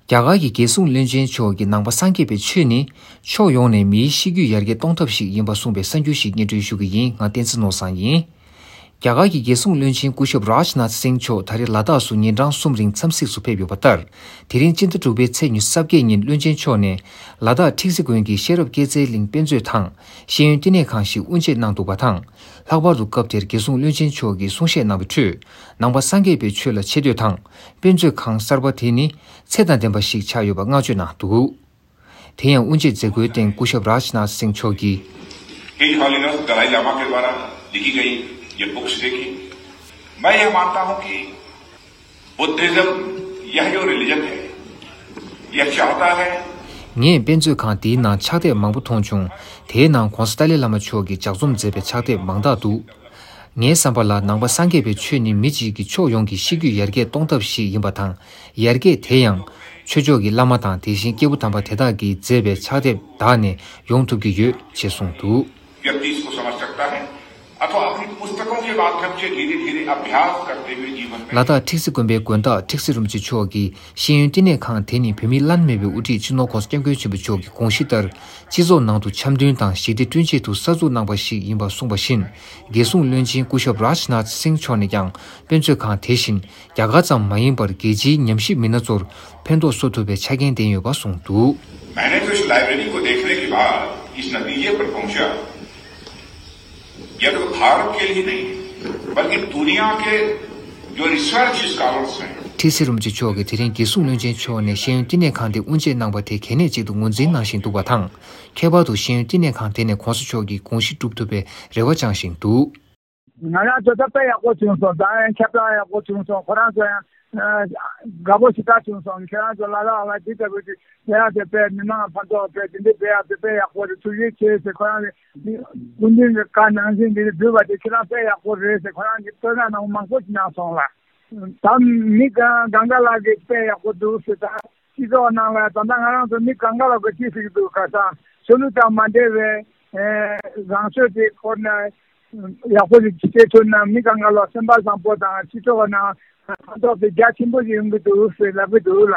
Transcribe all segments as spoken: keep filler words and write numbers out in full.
རྒྱ་གར་གྱི་རྒྱལ་སྲུང་བློན་ཆེན་མཆོག་གིས་ནང་པ་སངས་རྒྱས་པའི་ཆོས་ནི་ཕྱོགས་ཡོངས་ནས་མིའི་ཤེས་རྒྱུད་ཡར་རྒྱས་གཏོང་ཐབས་ཤིག་ཡིན་པ་གསུངས་པའི་གསར་འགྱུར་ཞིག་སྙན་སྒྲོན་ཞུ་གི་ཡིན། ང་བསྟན་འཛིན་ནོར་བཟང་ཡིན། རྒྱ་གར་གྱི་རྒྱལ་སྲུང་བློན་ཆེན་སྐུ་ཞབས་རཱཇ་ནཱཐ་སིང་མཆོག་ད་རེས་ལ་དྭགས་སུ་ཉིན་གྲངས་གསུམ་རིང་འཚམས་གཟིགས་སུ་ཕེབས་ཡོད་པ་ལྟར། དེ་རིང་སྤྱི་ཟླ་དྲུག་པའི་ཚེས་ཉི་ཤུ་རྩ་བརྒྱད་ཉིན་བློན་ཆེན་མཆོག་ནས་ལ་དྭགས་ཁྲིག་སི་དགོན་གྱི་ཤེས་རབ་སྐྱེད་ཚལ་གླིང་དཔེ་མཛོད་དང་ཤེས་ཡོན་བསྟི་གནས་ཁང་ཞིག་དབུ་འབྱེད་གནང་འདུག་པ་དང་། ལྷག་པར་དུ་སྐབས་དེར་རྒྱལ་སྲུང་བློན་ཆེན་མཆོག་གིས་གསུང་བཤད་གནང་བའི་ཁྲོད། ནང་པ་སངས་རྒྱས་པའི་ཆོས་ལ་ཆེ་བསྟོད་དང་། དཔེ་མཛོད་ཁང་གསར་པ་དེ་ནི་ཚད་དང་ལྡན་པ་ཞིག་ཆགས་ཡོད་པ་བསྔགས་བརྗོད་གནང་འདུག་དེ་ཡང་དབུ་འབྱེད་མཛད་སྒོའི་སྟེང་སྐུ་ཞབས་རཱཇ་ནཱཐ་སིང་མཆོག་གིས། His Holiness Dalai Lama के द्वारा लिखी गई ये बुक्स देखी। मैं यह मानता हूं कि बुद्धिज्म यह जो रिलीजन है, यह चाहता है ངས་དཔེ་མཛོད་ཁང་དེའི་ནང་ཕྱག་དེབ་མང་པོ་མཐོང་བྱུང་། དེའི་ནང་༧གོང་ས་ཏཱ་ལའི་བླ་མ་མཆོག་གིས་ལྗགས་རྩོམ་མཛད་པའི་ཕྱག་དེབ་མང་དག་འདུག་ངའི་བསམ་པ་ལ་ནང་པ་སངས་རྒྱས་པའི་ཆོས་ནི་མི་གཅིག་གི་ཕྱོགས་ཡོངས་ཀྱི་ཤེས་རྒྱུད་ཡར་རྒྱས་གཏོང་ཐབས་ཤིག་ཡིན་པ་དང་། ཡར་རྒྱས་དེ་ཡང་ཆོས་ཕྱོགས་ཀྱི་བླ་མ་དང་དེ་བཞིན་སྐྱེས་བུ་དམ་པ་དེ་དག་གིས་མཛད་པའི་ཕྱག་དེབ་དག་ནས་ཡོང་ཐུབ་ཀྱི་ཡོད་ཅེས་གསུངས་འདུག व्यक्ति इसको समझ सकता है अथवा अपनी पुस्तकों के माध्यम से धीरे धीरे अभ्यास करते हुए जीवन में ལ་དྭགས་ཁྲིག་སི་དགོན་པའི་དགོན་བདག་ཁྲིག་སི་རིན་པོ་ཆེ་མཆོག་གིས་ཤེས་ཡོན་བསྟི་གནས་ཁང་དེ་ནི་བོད་མིའི་བླ་ན་མེད་པའི་དབུ་ཁྲིད་སྤྱི་ནོར་༧གོང་ས་༧སྐྱབས་མགོན་ཆེན་པོ་མཆོག་གི་དགོངས་གཞི་ལྟར། སྤྱི་ཚོགས་ནང་དུ་འཆམ་མཐུན་དང་ཞི་བདེ་བསྐྲུན་ཆེད་དུ་གསར་འཛུགས་གནང་པ་ཞིག་ཡིན་པ་གསུངས་པ་བཞིན། རྒྱལ་སྲུང་བློན་ཆེན་སྐུ་ཞབས་རཱཇ་ནཱཐ་སིང་མཆོག་ནས་ཀྱང་དཔེ་མཛོད་ཁང་དེ་བཞིན་རྒྱ་གར་ཙམ་མ་ཡིན་པར་རྒྱལ་སྤྱིའི་ཉམས་ཞིབ་མི་སྣ་ཚོར་ཕན་ཐོགས་བཟོ་ཐུབ་པའི་ཆ་རྐྱེན་ལྡན་ཡོད་པ་གསུངས་འདུག मैंने तो इस लाइब्रेरी को देखने के बाद इस नतीजे पर पहुंचा, यह तो भारत के लिए नहीं, बल्कि दुनिया के जो रिसर्च स्कॉलर्स हैं, ཁྲིག་སེ་རིན་པོ་ཆེ་མཆོག་གིས་དེ་རིང་རྒྱལ་སྲུང་བློན་ཆེན་མཆོག་ནས་ཤེས་ཡོན་བསྟི་གནས་ཁང་དེ་དབུ་འབྱེད་གནང་པ་དེ་གལ་གནད་ཅིག་ཏུ་ངོས་འཛིན་གནང་བཞིན་འདུག་པ་དང་། ཁྱད་པར་དུ་ཤེས་ཡོན་བསྟི་གནས་ཁང་དེ་ནས་གོང་ས་མཆོག་གི་དགོངས་གཞི་སྒྲུབ་ཐུབ་པའི་རེ་བ་བཅངས་བཞིན་འདུག་ང་རང་ཚོ་ད་དཔེ་ཡག་པོ་བྱུང་སོང་། ད་ཡང་ཁྱབ་བསྒྲགས་ཡག་པོ་བྱུང་སོང་། ཁོ་རང་ཚོ་ཡང་དགའ་པོ་ཞེ་དྲག་བྱུང་སོང་། ཁྱེད་རང་ཚོ་ལ་ལ་ལ་འདི་ལྟ་བུ་ཅིག་ཡ་དེ་དཔེ་མི་མང་ཕན་ཐོགས་དཔེ་དེ་འདྲའི་དཔེ་ཡག་དེ་དཔེ་ཡག་པོ་རེད། ཐུགས་རྗེ་ཆེ་ཟེར་ཁོ་རང་གི་སྐུ་མདུན་གྱི་བཀའ་ནང་བཞིན་འདི་འདྲ་འབུལ་བ་དེ་ཁྱེད་རང་དཔེ་ཡག་པོ་རེད་ཟེར་ཁོ་རང་གི་བསྟོད་བསྔགས་གནང་མང་པོ་ཞིག་གནང་སོང་ལ། ད་མི་གང་གང་ག་ལ་གི་དཔེ་ཡག་པོ་འདུག་ཟེར། ད་སྤྱི་ཚོགས་ནང་ལ་ད་ལྟ་ང་རང་ཚོ་མི་གང་ག་ལ་གི་ཅི་ཟེར་གི་འདུག་ག་ས་ཆོས་ལུགས་དང་མ་འབྲེལ་བའི་རང་ཆོས་དེ་སྐོར་ན་ཡག་པོ་ཞིག་བྱེད་ཐུབ་ན་མི་གང་ག་ལ་སེམས་པ་བཟང་པོ་དང་སྤྱི་ཚོགས་ནང་ཕན་ཐོགས་དེ་རྒྱ་ཆེན་པོ་ཞིག་ཡོང་གི་འདུག་ཟེར་ལབ་གི་འདུག་ལ།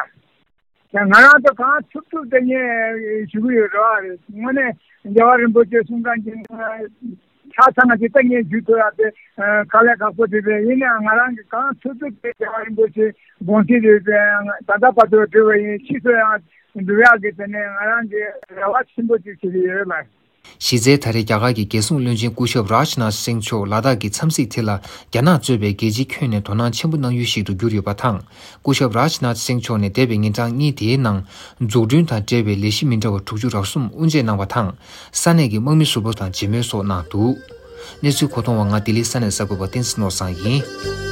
ཡང་ང་རང་ཚོ་གང་ཐུབ་ཐུབ་དེ་ངས་ཞུ་གི་ཡོད་རེད་བ། རེད། དངོས་གནས་རྒྱལ་བ་རིན་པོ་ཆེ་གསུང་མཁན་གྱི་ཆ་ཚང་གི་ད་ངས་ཞུ་ཐུབ་ཡག་དེ་དཀའ་ལས་ཁག་པོ་དེ་རེད། ཡིན་ནའང་ང་རང་གི་གང་ཐུབ་ཐུབ་དེ་རྒྱལ་བ་རིན་པོ་ཆེ་དགོངས་གཞི་རེད་དེ་ད་ལྟ་བར་དུ་འགྲོ་བ་ཡིན། ཕྱིས་སུ་ཡང་འགྲོ་ཡག་གི་དེ་ནས་ང་རང་གི་རེ་བ་ཆེན་པོ་ཅིག་བྱེད་ཀྱི་ཡོད་ལ། གཞི་རྩའི་ད་རེས་རྒྱ་གར་གྱི་རྒྱལ་སྲུང་བློན་ཆེན་སྐུ་ཞབས་རཱཇ་ནཱཐ་སིང་མཆོག་ལ་དྭགས་ཀྱི་འཚམས་གཟིགས་དེ་ལ་རྒྱ་ནག་གཙོས་པའི་རྒྱལ་སྤྱིའི་ཁྱོན་ནས་དོ་སྣང་ཆེན་པོ་གནང་ཡུལ་ཞིག་ཏུ་གྱུར་ཡོད་པ་དང་། སྐུ་ཞབས་རཱཇ་ནཱཐ་སིང་མཆོག་ནས་འདས་པའི་ཉིན་གྲངས་གཉིས་དེའི་ནང་འཛུགས་སྐྲུན་དང་འབྲེལ་བའི་ལས་གཞི་མི་འདྲ་བ་དྲུག་ཅུ་རེ་གསུམ་དབུ་འབྱེད་གནང་བ་དང་། ས་གནས་ཀྱི་དམག་མི་ཟུར་པ་དང་མཇལ་མོལ་སོགས་གནང་འདུག་གནས་ཚུལ་མཁོ་གཏོང་བ་ང་ལྡི་ལི་ས་གནས་གསར་འགོད་པ་བསྟན་འཛིན་ནོར་བཟང་ཡིན།